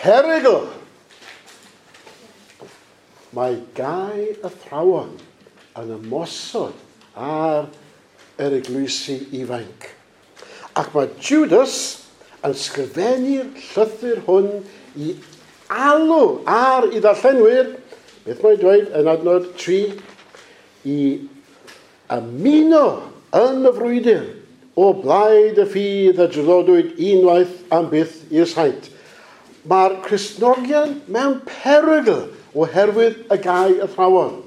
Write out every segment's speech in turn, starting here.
Perygl! Mae gau athrawon yn ymosod ar yr eglwysi ifainc. Ac mae Judas yn sgrifennu'r llythyr hwn i alw ar i ddarllenwyr, beth mae'n dweud yn adnod 3, i ymuno yn y frwydr o blaid y ffydd a draddodwyd unwaith am byth i'r saint. Mae'r Cristnogion mewn perygl oherwydd y gau athrawon.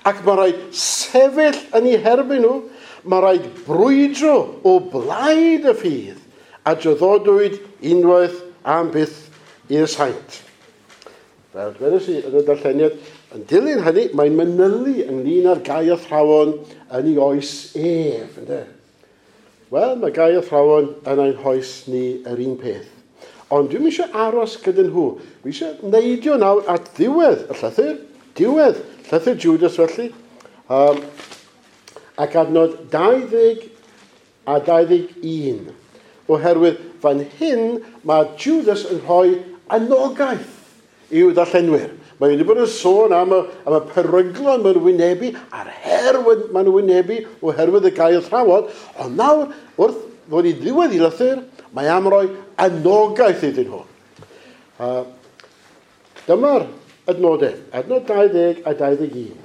Ac mae rhaid sefyll yn eu herbyn nhw, mae rhaid brwydro o blaid y ffydd a draddodwyd unwaith am byth i'r saint. Fel dwedais i yn y darlleniad, yn dilyn hynny, mae'n manylu ynglyn â'r gau athrawon yn ei oes ef. Ynde? Wel, mae gau athrawon yn ein hoes ni yr un peth. Ond dwi'm eisiau aros gyda nhw. Dwi eisiau neidio nawr at ddiwedd y llythyr, diwedd llythyr Judas felly, ac adnod 20 a 21. Oherwydd fan hyn mae Judas yn rhoi anogaeth i'w ddarllenwyr. Mae wedi bod yn sôn am y peryglon mae'n wynebu, a'r her mae'n wynebu oherwydd y gau athrawon, ond nawr, wrth ddod i ddiwedd i lythyr, mae am roi anogaeth iddyn nhw. Dyma'r adnodau, adnod 20 a 21.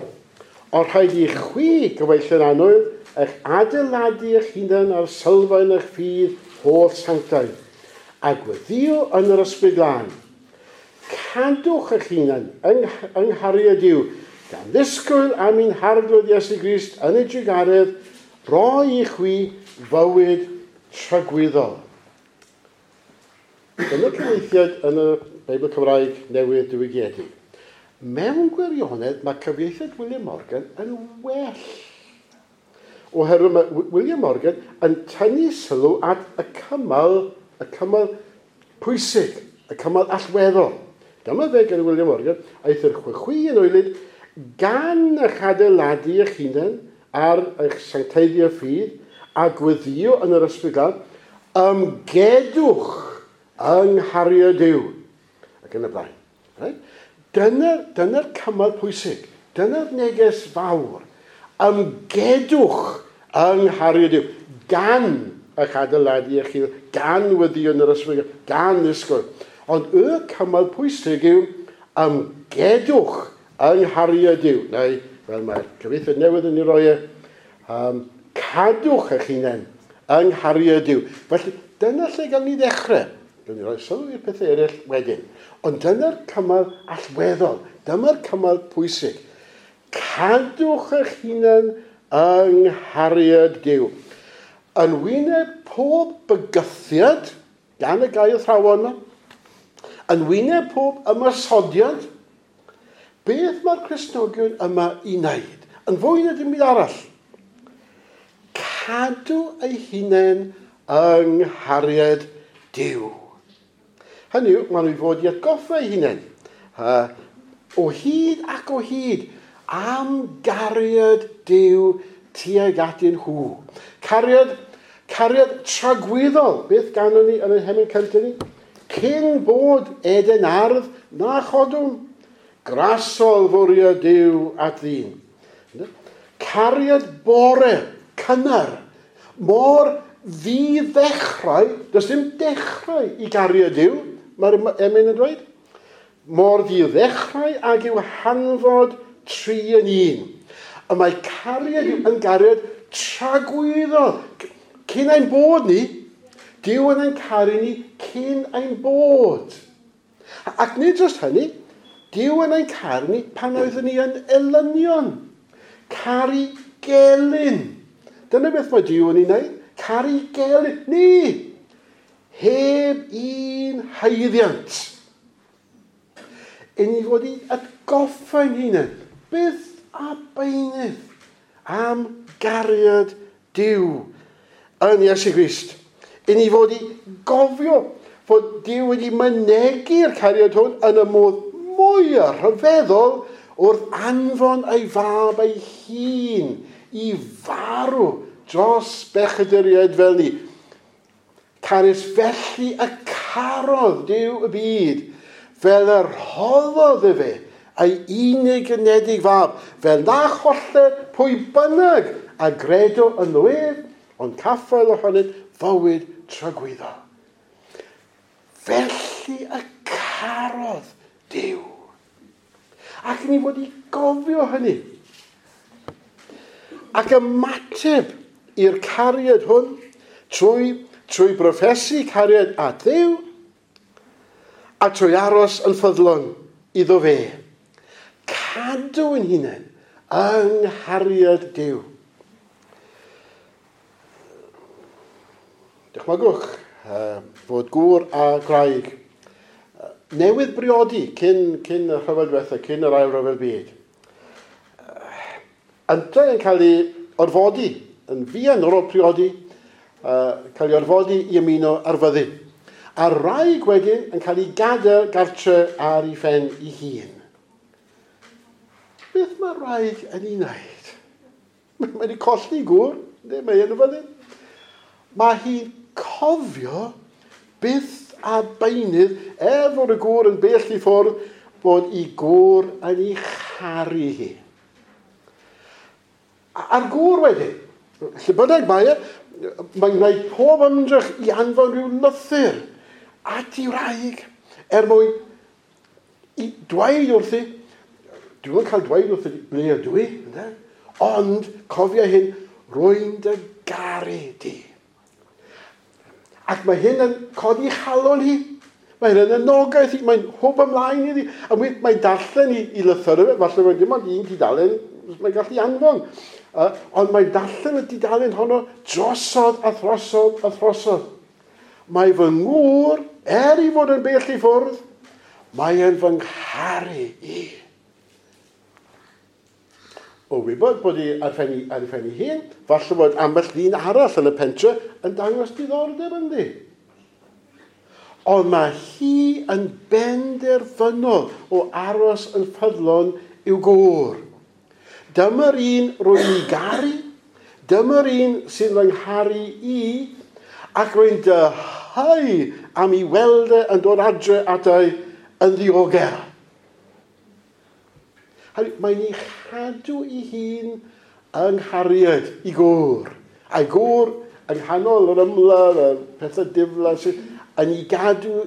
Ond rhaid i chwi, gyfeillion annwyl, eich adeiladu eich hunan ar sylfaen eich ffydd holl sanctaidd, a gweddio yn yr Ysbryd Glân. Cadwch eich hunan yng nghariad Duw, gan ddisgwyl am ein Harglwydd Iesu Grist yn ei drugaredd, roi i chwi fywyd tragwyddol. Dyna'r cyfieithiad yn y Beibl Cymraeg Newydd Diwygiedig. Mewn gwirionedd, mae cyfieithiad William Morgan yn well. Oherwydd mae William Morgan yn tynnu sylw at y cymal pwysig, y cymal allweddol. Dyma fe gan William Morgan, aeth yr chwi yn oelyd gan eich adeiladu eich hunan ar eich sancteiddio ffydd a gweddio yn yr Ysbryd Glân, ymgedwch yng nghariad Duw. Ac yn y blaen. Right? Dyna'r cymal pwysig. Dyna'r neges fawr. Ymgedwch yng nghariad Duw. Gan eich adeiladu eich hun, gan weddio yn yr Ysbryd, gan ddisgwyl. Ond y cymal pwysig yw ymgedwch yng nghariad Duw. Neu, fel mae'r cyfieithiad newydd yn ei roi e, cadwch eich hunain yng nghariad Duw. Felly, dyna lle gawn ni ddechrau. Gawn ni roi sylw i'r pethau eraill wedyn. Ond dyna'r cymal allweddol. Dyma'r cymal pwysig. Cadwch eich hunan yng nghariad Duw. Yn wyneb pob bygythiad gan y gau athrawon yma, yn wyneb pob ymosodiad, beth mae'r Cristnogion yma i wneud? Yn fwy na dim byd arall. Cadw eu hunain yng nghariad Duw. Hynny yw, maen nhw i fod i atgoffa eu hunain. O hyd ac o hyd, am gariad Duw tuag atyn nhw. Cariad tragwyddol. Beth ganon ni yn ein hemyn cyntaf ni? Cyn bod Eden ardd na chodwn, grasol fwriad Duw at ddyn. Cariad bore, cynnar, mor ddi-ddechrau, does dim dechrau i gariad Duw, mae'r emyn yn dweud. Mor ddi-ddechrau ag yw hanfod 3 yn 1. Y mae cariad Duw yn gariad tragwyddol. Cyn ein bod ni, Duw yn ein caru ni cyn ein bod. Ac nid jyst hynny, Duw yn ein caru ni pan oeddwn ni yn elynion. Caru gelyn. Dyna beth mae Duw yn ei wneud. Caru gelyn. Ni! Heb un haeddiant. I ni fod i atgoffa'n hunain, byth a beunydd am gariad Duw yn Iesu Grist. I ni fod i gofio fod Duw wedi mynegi'r cariad hwn yn y modd mwyaf rhyfeddol wrth anfon ei fab ei hun i farw dros bechaduriaid fel ni. Canys felly y carodd Duw y byd, Fel y rhoddodd efe ei unig anedig fab, fel na choller pwy bynnag a gredo ynddo ef, ond caffael ohonynt fywyd tragwyddol. Felly y carodd Duw. Ac ni fod i gofio hynny. Ac ymateb i'r cariad hwn trwy broffesu cariad at Dduw a trwy aros yn ffyddlon iddo fe. Cadw yn hunain yng nghariad Duw. Dychmygwch fod gŵr a gwraig newydd briodi cyn y rhyfel diwetha, cyn yr ail ryfel byd. Yntau yn cael ei orfodi, yn fuan ar ôl priodi, cael ei orfodi i ymuno ar fyddin. A'r wraig wedyn yn cael ei gadael gartre ar ei phen ei hun. Beth mae'r wraig yn ei wneud? Mae wedi colli gŵr, mae yn y fyddin. Mae hi'n cofio byth a beunydd, er fod y gŵr yn bell i ffwrdd, bod ei gŵr yn ei charu hi. A'r gŵr wedyn, lle bynnag mae e, mae'n gwneud pob ymdrech i anfon rhyw lythyr at ei wraig, er mwyn i dweud wrthi, dwi'n cael dweud wrthi ble ydw i, ynde? Ond cofia hyn, rwy'n dy garu di. Ac mae hyn yn codi chalon hi. Mae hyn yn anogaeth hi, mae'n hwb ymlaen iddi. A mae'n darllen i lythyr, falle mae'n dim ond un tudalen, mae'n gallu anfon. Ond mae'n darllen y dudalen honno drosodd a throsodd a throsodd. Mae fy ngŵr, er i fod yn bell i ffwrdd, mae e'n fy ngharu i. O wybod bod hi ar ei phen ei hun, falle bod ambell ddyn arall yn y pentre yn dangos diddordeb ynddi. Ond mae hi yn benderfynol o aros yn ffyddlon i'w gŵr. Dyma'r un rwy'n ei garu, dyma'r un sy'n fy ngharu i, ac rwy'n dyheu am ei weld e yn dod adre atai yn ddiogel. Mae'n ei chadw ei hun yng nghariad i gŵr. A'i gŵr yng nghanol yr ymladd, y pethau diflas, yn ei gadw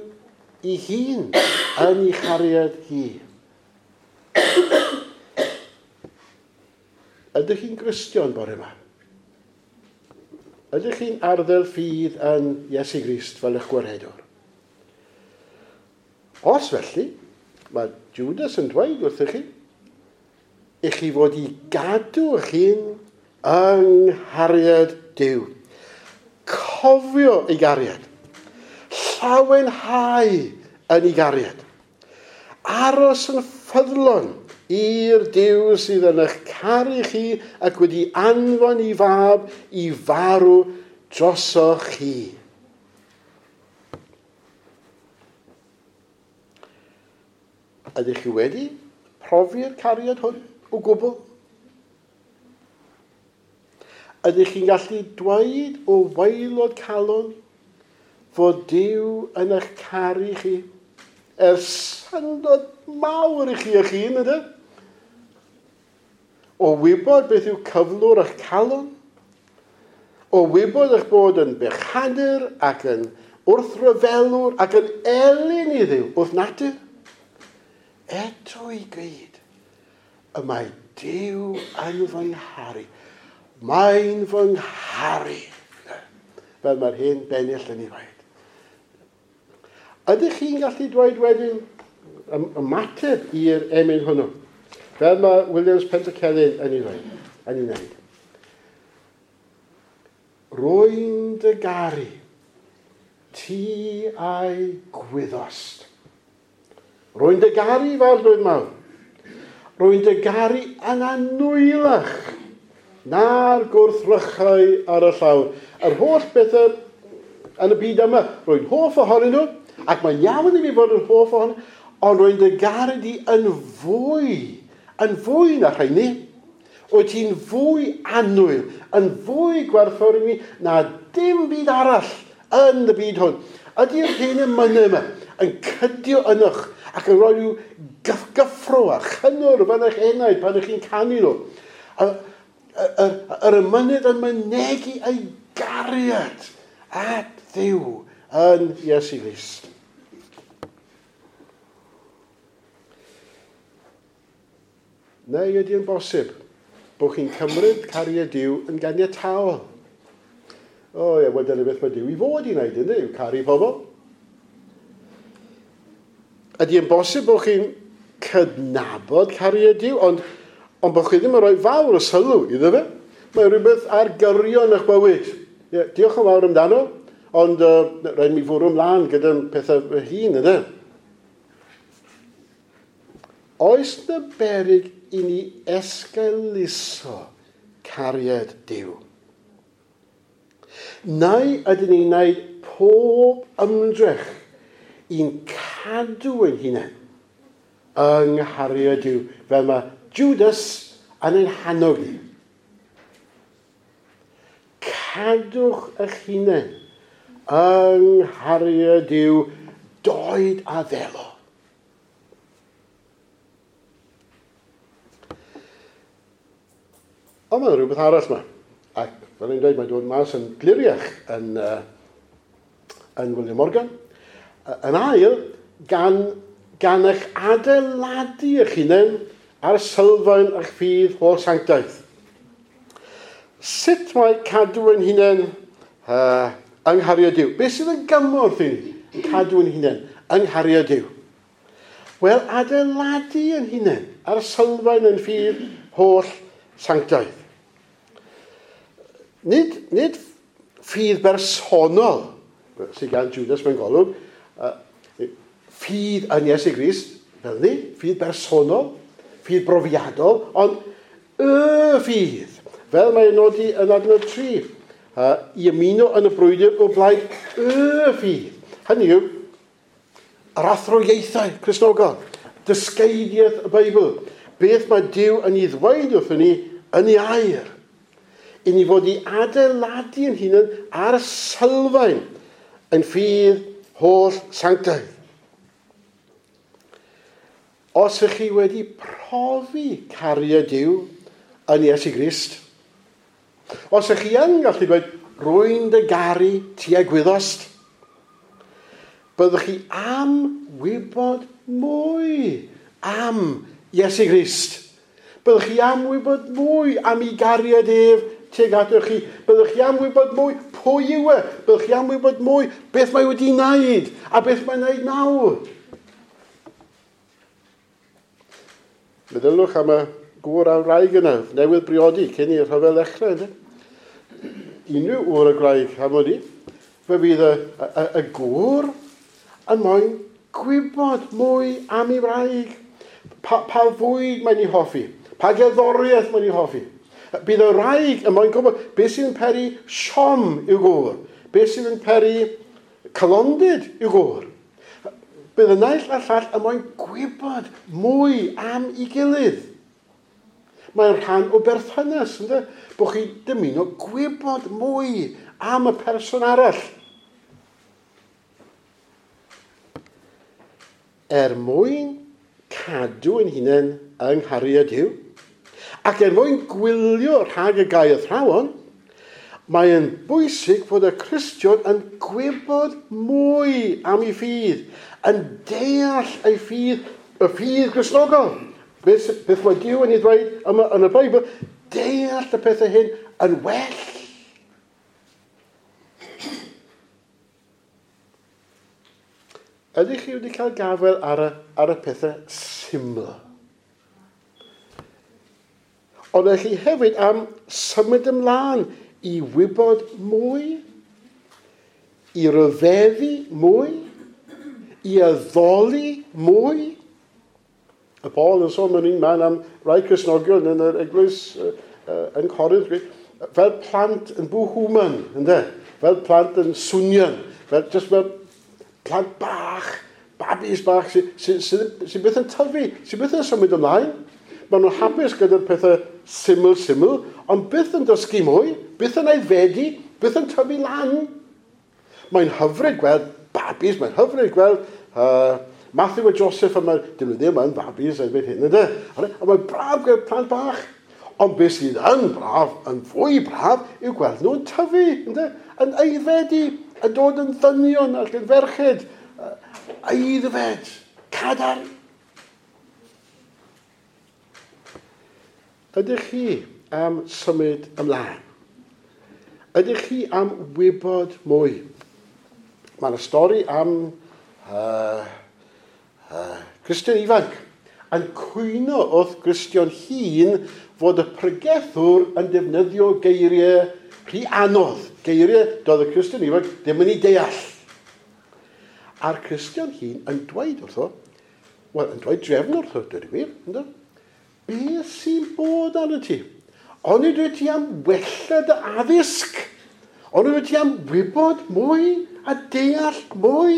ei hun yn ei chariad hi. Ydych chi'n Gristion bore yma? Ydych chi'n arddel ffydd yn Iesu Grist fel eich gwaredwr? Os felly, mae Judas yn dweud wrthych chi, i chi fod i gadw eich hun yng nghariad Duw. Cofio ei gariad. Llawenhau yn ei gariad. Aros yn ffyddlon i'r Duw sydd yn eich caru chi ac wedi anfon ei fab i farw drosoch chi. Ydych chi wedi profi'r cariad hwn o gwbl? Ydych chi'n gallu dweud o waelod calon fod Duw yn eich caru chi? Er syndod mawr i chi eich hun, ydy? O wybod beth yw cyflwr eich calon? O wybod eich bod yn bechadur ac yn wrthryfelwr ac yn elyn i Dduw wrth natur? Eto i gyd, y mae Duw yn fy ngharu. Mae'n fy ngharu. Fel mae'r hen bennill yn ei ddweud. Ydych chi'n gallu dweud wedyn ymateb i'r emyn hwnnw? Fel mae Williams Pantycelyn yn ei ddweud, yn ei wneud. Rwy'n dy garu, ti a'i gwyddost. Rwy'n dy garu, fy arglwydd mawr. Rwy'n dy garu yn anwylach na'r gwrthrychau ar y llawr. Yr holl bethau yn y byd yma, rwy'n hoff ohonyn nhw, ac mae'n iawn i mi fod yn hoff ohonyn nhw, ond rwy'n dy garu di yn fwy na rheini. Wyt ti'n fwy annwyl, yn fwy gwerthfawr i mi na dim byd arall yn y byd hwn. Ydy'r hen emynau yma yn cydio ynoch Ac yn rhoi rhyw gyffro a chynnwrf yn eich enaid pan ych chi'n canu nhw. Yr emynydd yn mynegi ei gariad at Dduw yn Iesu Grist. Neu ydy yn bosib bod chi'n cymryd cariad Duw yn ganiataol? O ie, wel dyna beth mae Duw i fod i wneud, ynddi, yw caru pobl. Ydy yn bosib bod chi'n cydnabod cariad Duw, ond bod chi ddim yn rhoi fawr o sylw iddo fe? Mae rhywbeth ar gyrion eich bywyd. Ie, diolch yn fawr amdano, ond rhaid mi fwrw ymlaen gyda'n pethau fy hun, ynddo? Oes na beryg i ni esgeuluso cariad Duw? Neu ydyn ni'n gwneud pob ymdrech i'n cadw ein hunain yng nghariad Duw, fel mae Judas yn ein hannog ni? Cadwch eich hunain yng nghariad Duw, doed a ddelo. Ond mae rhywbeth arall yma. Ac fel i'n dweud, mae'n dod mas yn gliriach yn William Morgan. Yn ail, gan eich adeiladu eich hunain ar sylfaen eich ffydd holl sanctaidd. Sut mae cadw ein hunain yng nghariad Duw? Beth sydd yn gymorth i ni cadw ein hunain yng nghariad Duw? Wel, adeiladu ein hunain ar sylfaen ein ffydd holl sanctaidd. Nid ffydd bersonol sydd gan Judas mewn golwg, ffydd yn Iesu Grist, fel ni, ffydd bersonol, ffydd brofiadol, ond y ffydd, fel mae'n nodi yn adnod 3, i ymuno yn y brwydr o blaid y ffydd. Hynny yw, yr athroieithau Cristnogol, dysgeidiaeth y Beibl, beth mae Duw yn ei ddweud wrthyn ni yn ei air. I ni fod i adeiladu ein hunain ar sylfaen ein ffydd holl sanctaidd. Os ych chi wedi profi cariad Duw yn Iesu Grist, os ych chi yn gallu dweud, rwy'n dy garu ti a gwyddost, byddwch chi am wybod mwy am Iesu Grist. Byddwch chi am wybod mwy am ei gariad ef tuag atoch chi. Byddwch chi am wybod mwy pwy yw e. Byddwch chi am wybod mwy beth mae wedi wneud a beth mae'n wneud nawr. Meddylwch am y gŵr a'r wraig yna, newydd briodi cyn i'r rhyfel ddechrau. Ynddo? Unrhyw ŵr a gwraig am wn i, fe fydd y gŵr yn moyn gwybod mwy am ei wraig. Pa fwyd mae'n ei hoffi? Pa gerddoriaeth mae'n ei hoffi? Bydd y wraig yn moyn gwybod beth sydd yn peri siom i'w gŵr, beth sydd yn peri calondid i'w gŵr. Bydd y naill a'r llall yn moyn gwybod mwy am ei gilydd. Mae'n rhan o berthynas, ynddo? Bod chi dymuno gwybod mwy am y person arall. Er mwyn cadw ein hunain yng nghariad Duw, ac er mwyn gwylio rhag y gair athrawon, mae'n bwysig fod y Cristion yn gwybod mwy am ei ffydd, yn deall ei ffydd, y ffydd Gristnogol. Beth mae Duw yn ei ddweud yma yn y Beibl, deall y pethau hyn yn well. Ydych chi wedi cael gafael ar y pethau syml? Ond ydych chi hefyd am symud ymlaen i wybod mwy, i ryfeddu mwy, i addoli mwy? Y Paul yn sôn mewn un man am rai Cristnogion yn yr eglwys yn Corinth, fel plant yn bwhwman, ynde? Fel plant yn swnian, just fel plant bach, babis bach sydd byth yn tyfu, sydd byth yn symud ymlaen. Maen nhw'n hapus gyda'r pethau syml, ond byth yn dysgu mwy, byth yn aeddfedu, byth yn tyfu lan. Mae'n hyfryd gweld babis, mae'n hyfryd gweld Matthew a Joseph yma, dyn nhw ddim yn fabis erbyn hyn, ynddo? A mae'n braf gweld plant bach. Ond beth sydd yn braf, yn fwy braf, yw gweld nhw'n tyfu, ynddo? Yn aeddfedu, yn dod yn ddynion ac yn ferched. Aeddfed, cadarn. Ydych chi am symud ymlaen? Ydych chi am wybod mwy? Mae yna stori am Cristion ifanc yn cwyno wrth Gristion hŷn fod y pregethwr yn defnyddio geiriau rhy anodd, geiriau doedd y Cristion ifanc ddim yn ei deall. A'r Cristion hŷn yn dweud wrtho, wel, yn dweud drefn wrtho, dweud y gwir, ynddo? Beth sy'n bod arno ti? Onid wyt ti am wella dy addysg? Onid wyt ti am wybod mwy a deall mwy?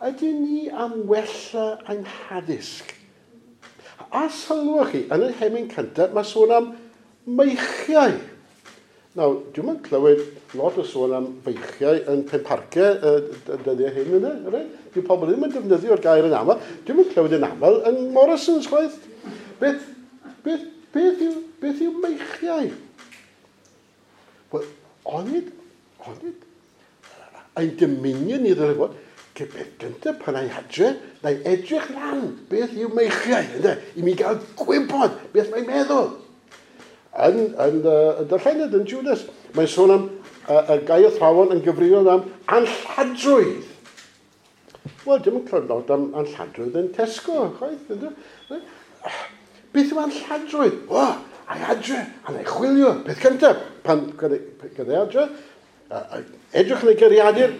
Ydyn ni am wella ein haddysg? A sylwch chi, yn y hemyn cyntaf, mae sôn am meichiau. Nawr, dwi'm yn clywed lot o sôn am feichiau yn Penparcau y dyddiau hyn, yna, right? Dyw pobl ddim yn defnyddio'r gair yn aml. Dwi'm yn clywed yn aml yn Morrison's, chwaith. Beth, beth, beth, yw, beth yw meichiau? Wel, onid, onid, ein dymunion ni ddylai fod, beth gyntaf pan ei adre, na i edrych lan beth yw meichiau, ynddo, i mi gael gwybod beth mae'n meddwl. Yn, yn, yn darllened yn Judas, mae'n sôn am y gai athrawon yn gyfrifol am anlladrwydd. Wel, dim yn clywed lot am anlladrwydd yn Tesco, chwaith. Ynddo? Beth yw anlladrwydd? O, a'i adre, a na'i chwilio. Peth cyntaf, pan gyda adre, edrych yn ei geiriadur,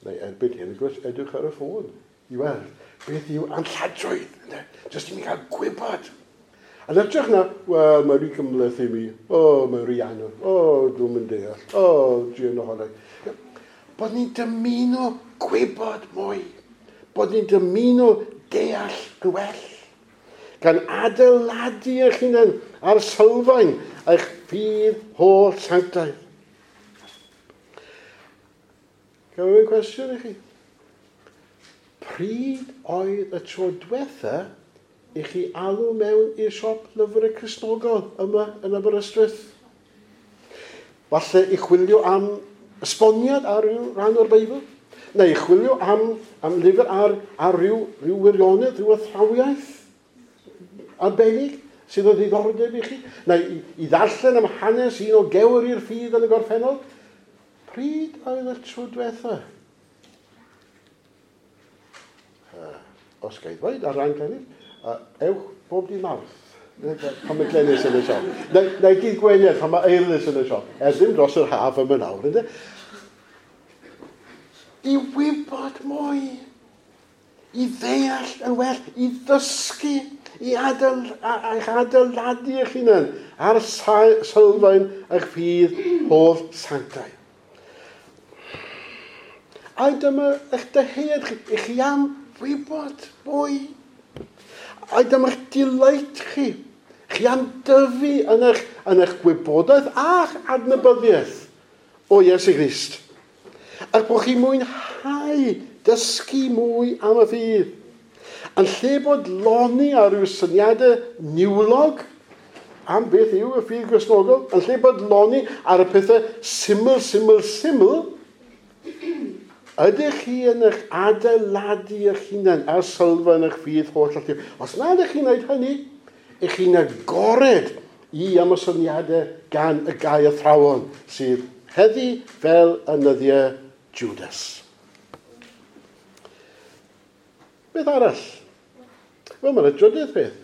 neu erbyn hyn, gwrs, edrych ar y ffôn i weld beth yw anlladrwydd. Ynddo? Jyst i mi gael gwybod. Yn edrych na, wel, mae rhy gymhleth i mi. O, mae rhy anodd. O, dwi'n mynd deall. O, dwi'n ohono. Bod ni'n dymuno gwybod mwy. Bod ni'n dymuno deall yn well. Gan adeiladu eich hunain ar sylfaen eich ffydd holl sanctaidd. Gael un cwestiwn i chi? Pryd oedd y tro diwetha i chi alw mewn i'r siop lyfrau Cristnogol yma yn Aberystwyth? Falle i chwilio am esboniad ar ryw ran o'r Beibl, neu i chwilio am, am lyfr ar, ar ryw, ryw wirionedd, rhyw athrawiaeth arbennig sydd o ddiddordeb i chi, neu i, i ddarllen am hanes un o gewr i'r ffydd yn y gorffennol. Pryd oedd y tro diwetha? Os ga i ddweud, ar ran Glenys, ewch bob dydd Mawrth. Pan mae Glenys yn y siop. Neu, neu dydd Gwener, pan mae Eirlys yn y siop. Er ddim dros yr haf yma nawr, ynddo? I wybod mwy, i ddeall yn well, i ddysgu, i adael, eich adeiladu eich hunan ar sylfaen eich ffydd holl sanctaidd. A dyma eich dyhead chi, i chi am wybod mwy. A dyma'ch delight chi. Chi am dyfu yn eich, yn eich gwybodaeth a'ch adnabyddiaeth o Iesu Grist. Ac bod chi'n mwynhau dysgu mwy am y ffydd. Yn lle bod loni ar ryw syniadau niwlog am beth yw y ffydd Gristnogol, yn lle bod loni ar y pethau syml, syml, syml, ydych chi yn eich adeiladu eich hunan ar sylfaen eich ffydd holl allu? Os nad ydych chi'n gwneud hynny, ych chi'n agored i ymosodiadau gan y gai athrawon sydd heddi fel yn nyddiau Judas. Beth arall? Wel, mae'n drydydd peth.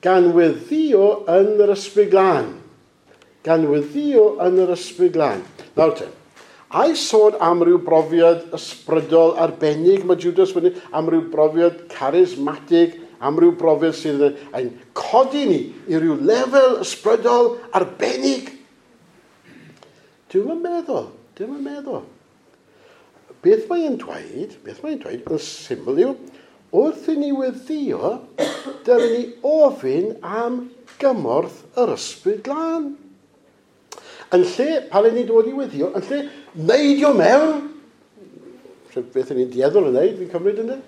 Gan weddïo yn yr Ysbryd Glân. Gan weddïo yn yr Ysbryd Glân. Nawr te, ai sôn am ryw brofiad ysbrydol arbennig mae Judas wedi, am ryw brofiad charismatig, am ryw brofiad sydd yn codi ni i ryw lefel ysbrydol arbennig? Dwi'm yn meddwl, dwi'm yn meddwl. Beth mae'n dweud, beth mae'n dweud yn syml yw, wrth i ni weddïo, dylen ni ofyn am gymorth yr Ysbryd Glân. Yn lle, pan ni'n dod i weddïo, yn lle neidio mewn, Beth ni'n dieddol yn neud, fi'n cymryd ynddo.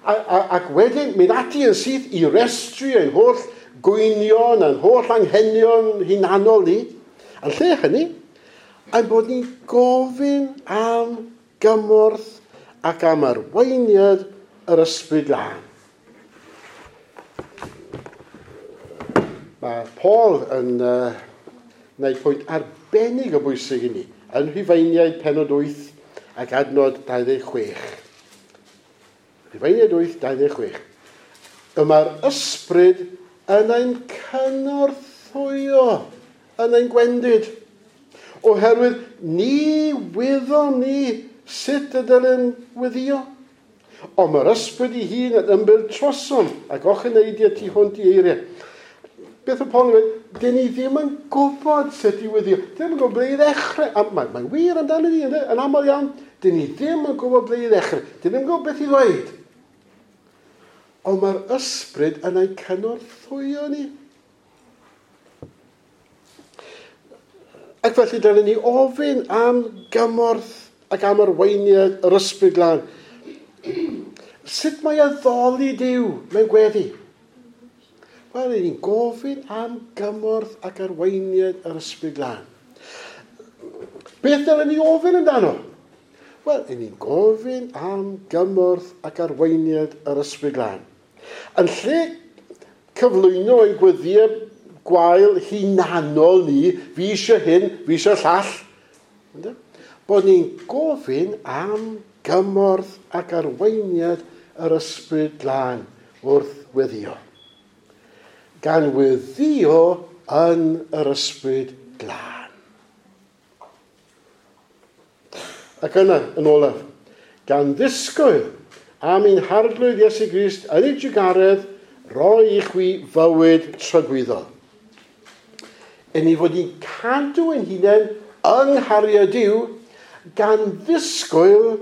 Ac wedyn mynd ati yn syth i restru ein holl gwynion a'n holl anghenion hunanol ni. Yn lle hynny, ein bod ni'n gofyn am gymorth ac am arweiniad yr Ysbryd Glân. Mae Paul yn gwneud pwynt arbennig o bwysig i ni yn Rhufeiniaid penod 8 ac adnod 26. Rhufeiniaid 8, 26. Y mae'r ysbryd yn ein cynorthwyo, yn ein gwendid. Oherwydd ni wyddom ni sut y dylem weddio. Ond mae'r ysbryd ei hun yn ymbil trosom ac ocheneidiau tu hwnt i eiriau. Beth y Paul yn dweud? Dyn ni ddim yn gwybod sut i weddio. Dyn ni ddim yn gwybod ble i ddechrau. A mae'n wir amdano ni, yn aml iawn. Dyn ni ddim yn gwybod ble i ddechrau. Dyn ni ddim yn gwybod beth i ddweud. Ond mae'r ysbryd yn ein cynorthwyo ni. Ac felly dylen ni ofyn am gymorth ac am arweiniad yr Ysbryd Glân. Sut mae addoli Duw mewn gweddi? Wel, ni'n gofyn am gymorth ac arweiniad yr Ysbryd Glân. Beth dylen ni ofyn amdano? Wel, ni'n gofyn am gymorth ac arweiniad yr Ysbryd Glân. Yn lle cyflwyno ein gweddiau gwael hunanol ni, fi eisiau hyn, fi eisiau llall, bod ni'n gofyn am gymorth ac arweiniad yr Ysbryd Glân wrth weddio. Gan weddio yn yr Ysbryd Glân. Ac yna, yn olaf, gan ddisgwyl am ein Harglwydd Iesu Grist yn ei drugaredd roi i chwi fywyd tragwyddol. Yn ei fod ni'n cadw ein hunain yng nghariad Duw gan ddisgwyl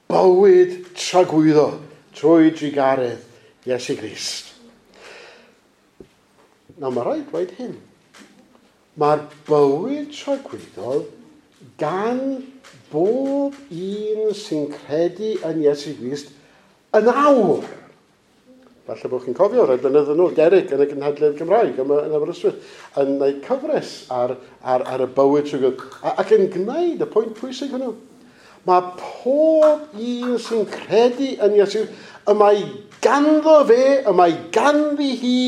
bywyd tragwyddol trwy drugaredd Iesu Grist. Nawr mae rhaid dweud hyn. Mae'r bywyd tragwyddol gan bob un sy'n credu yn Iesu Grist yn awr. Falle bod chi'n cofio rhai blynedd yn ôl, Derek yn y gynhadledd Gymraeg yma yn Aberystwyth, yn gwneud cyfres ar y bywyd tragwyddol, ac yn gwneud y pwynt pwysig hwnnw. Mae pob un sy'n credu yn Iesu, y mae ganddo fe, y mae ganddi hi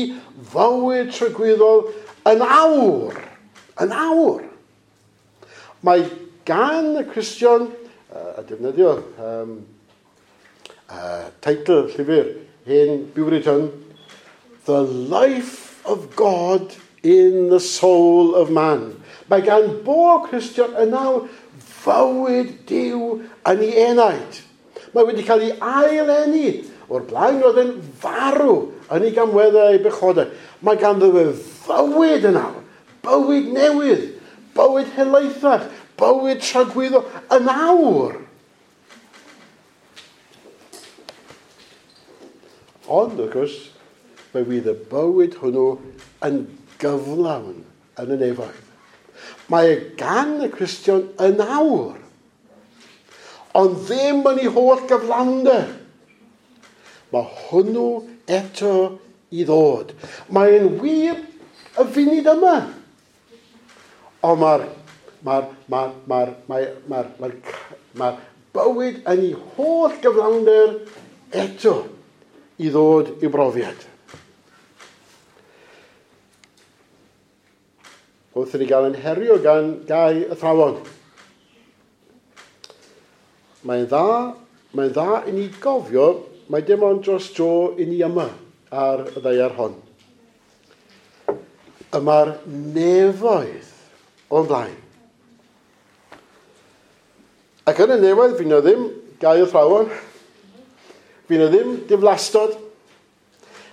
fywyd tragwyddol yn awr. Yn awr. Mae gan y Cristion, a defnyddio teitl llyfr hen Puritan, The Life of God in the Soul of Man. Mae gan bob Cristion yn awr fywyd Duw yn ei enaid. Mae wedi cael ei ail-eni. O'r blaen roedd yn farw yn ei gamweddau a'i bechodau. Mae ganddo fe fywyd yn awr, bywyd newydd, bywyd helaethach, bywyd tragwyddol yn awr. Ond, wrth gwrs, fe fydd y bywyd hwnnw yn gyflawn yn y nefoedd. Mae e gan y Cristion yn awr, ond ddim yn ei holl gyflawnder. Mae hwnnw eto i ddod. Mae'n wir y funud yma. Ond mae'r bywyd yn ei holl gyflawnder eto i ddod i'w brofiad. Wrth i ni gael yn herio gan gau athrawon. Mae'n dda i ni gofio, mae dim ond dros dro i ni yma ar y ddaear hon. Y mae'r nefoedd o'n blaen. Ac yn y nefoedd, fi na ddim gau athrawon, fi na ddim diflastod,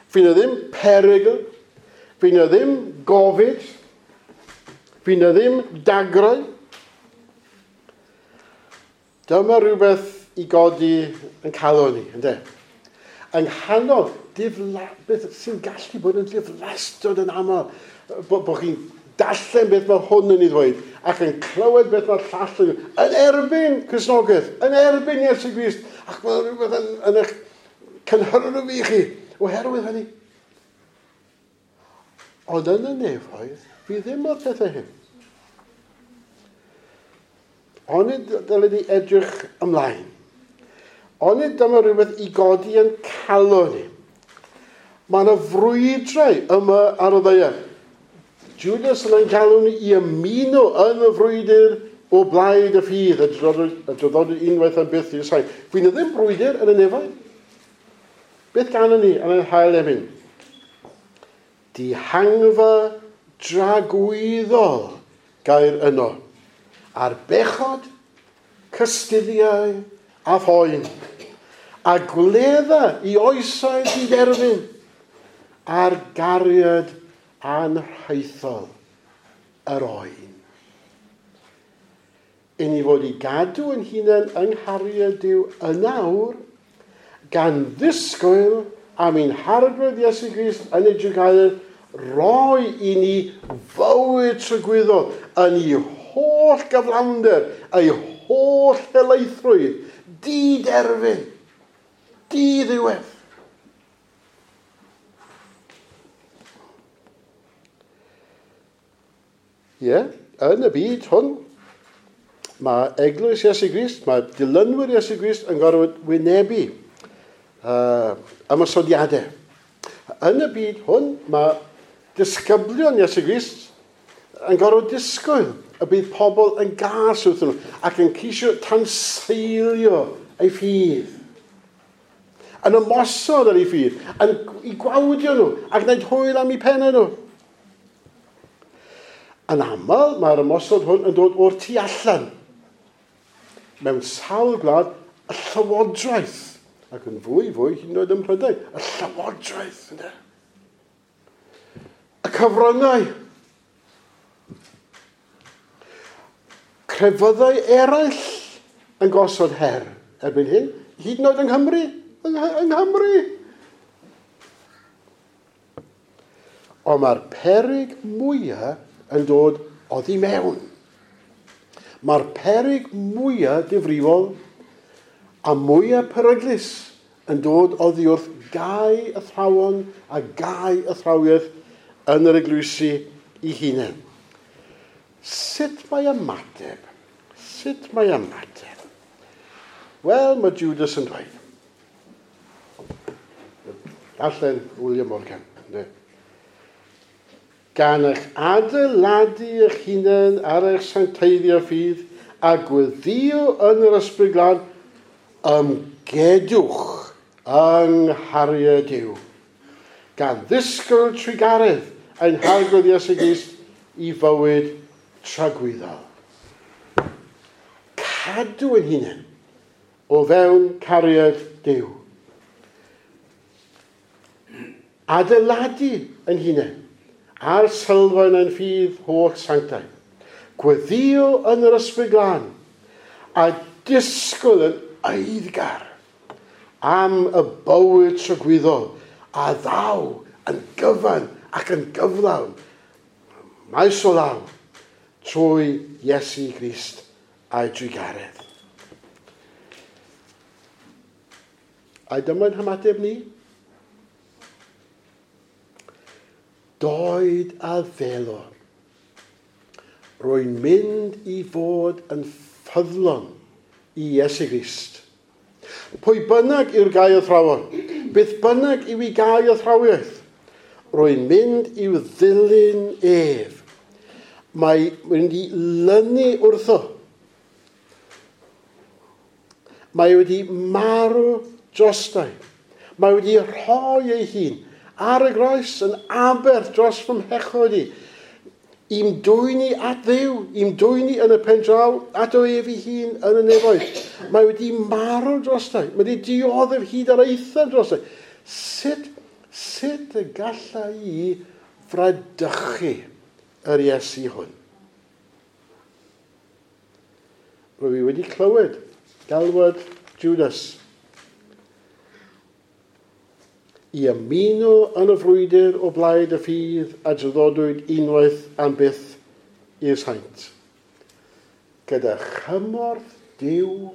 fi na ddim perygl, fi na ddim gofid, fi na ddim dagrau. Dyma rhywbeth i godi yn calon ni, ynde? Yng nghanol beth sy'n gallu bod yn diflastod yn aml, bod chi'n darllen beth mae hwn yn ei ddweud, ac yn clywed beth mae'r llall yn yn erbyn Cristnogaeth, yn erbyn Iesu Grist, ac mae rhywbeth yn eich cynhyrfu i chi oherwydd hynny. Ond yn y nefoedd, fi ddim o'r pethau hyn. Onid dylen ni edrych ymlaen. Onid dyma rhywbeth i godi yn calon ni. Mae yna frwydrau yma ar y ddaear. Judas yn ein galw ni i ymuno yn y frwydr o blaid y ffydd, a draddodwyd unwaith am byth i'r sain. Fydd yna ddim brwydr yn y nefoedd. Beth ganwn ni yn ein hail emyn? Dihangfa dragwyddol gair yno. Ar bechod, cystuddiau a phoen. A gwledda i oesoedd diderfyn a'r gariad anrhaethol yr oen. I ni fod i gadw yn hunain yng nghariad Duw yn awr, gan ddisgwyl am ein Harglwydd Iesu Grist yn ei drugaredd roi i ni fywyd tragwyddol yn ei holl gyflawnder, ei holl helaethrwydd, diderfyn, diddiwedd. Ie, yn y byd hwn, mae eglwys Iesu Grist, mae dilynwyr Iesu Grist yn gorfod wynebu ymosodiadau. Yn y byd hwn, mae disgyblion Iesu Grist yn gorfod disgwyl y bydd pobl yn gas wrthyn nhw ac yn ceisio tanseilio eu ffydd. Yn ymosod ar eu ffydd, yn i gwawdio nhw ac gwneud hwyl am eu pennau nhw. Yn aml, mae'r ymosod hwn yn dod o'r tu allan. Mewn sawl gwlad, y llywodraeth, ac yn fwy, hyd yn oed ym Mhrydain, y llywodraeth, ynde? Y cyfryngau. Crefyddau eraill yn gosod her erbyn hyn, hyd yn oed yng Nghymru. Yng Nghymru. Ond mae'r peryg mwyaf yn dod oddi mewn. Mae'r peryg mwyaf difrifol a mwyaf peryglus yn dod oddi wrth gau athrawon a gau athrawiaeth yn yr eglwysi i hunain. Sut mae ymateb? Sut mae ymateb? Wel, mae Judas yn dweud. Darllen William Morgan. Ynddo. Gan eich adeiladu eich hunain ar eich sancteiddio ffydd a gweddio yn yr Ysbryd Glân, ymgedwch yng nghariad Duw. Gan ddisgwyl trugaredd ein Harglwydd Iesu Grist i fywyd tragwyddol. Cadw ein hunain o fewn cariad Duw. Adeiladu ein hunain ar sylfaen ein ffydd holl sanctaidd. Gweddio yn yr Ysbryd Glân a disgwyl yn eiddgar am y bywyd tragwyddol a ddaw yn gyfan ac yn gyflawn maes o law trwy Iesu Grist a'i drugaredd. A dyma'n hymateb ni. Doed a ddelo. Rwy'n mynd i fod yn ffyddlon i Iesu Grist. Pwy bynnag yw'r gau athrawon, beth bynnag yw ei gau athrawiaeth, rwy'n mynd i'w ddilyn ef. Mae mynd i lynu wrtho. Mae wedi marw drostai. Mae wedi rhoi ei hun ar y groes yn aberth dros fy mhechod i. I'm dwyn i at Dduw, i'm dwyn i yn y pen draw, at o ef ei hun yn y nefoedd. Mae wedi marw drostai, mae wedi dioddef hyd ar eithaf drostai. Sut y galla i fradychu yr Iesu hwn? Rwy i wedi clywed galwad Judas. i ymuno yn y frwydr o blaid y ffydd a draddodwyd unwaith am byth i'r saint. Gyda chymorth Duw,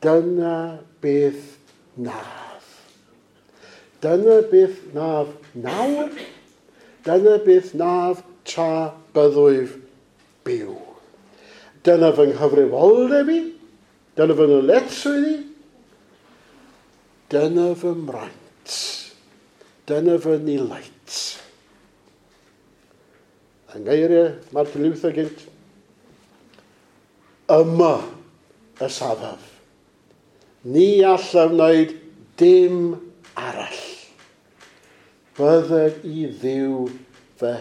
dyna beth naf. Dyna beth naf nawr, dyna beth naf tra byddwyf byw. Dyna fy nghyfrifoldeb i, dyna fy nyletswydd i, dyna fy mraint, dyna fy nilait. Yng ngeiriau Martin Luther gynt, yma y safaf. Ni allaf wneud dim arall. Bydded i Dduw fy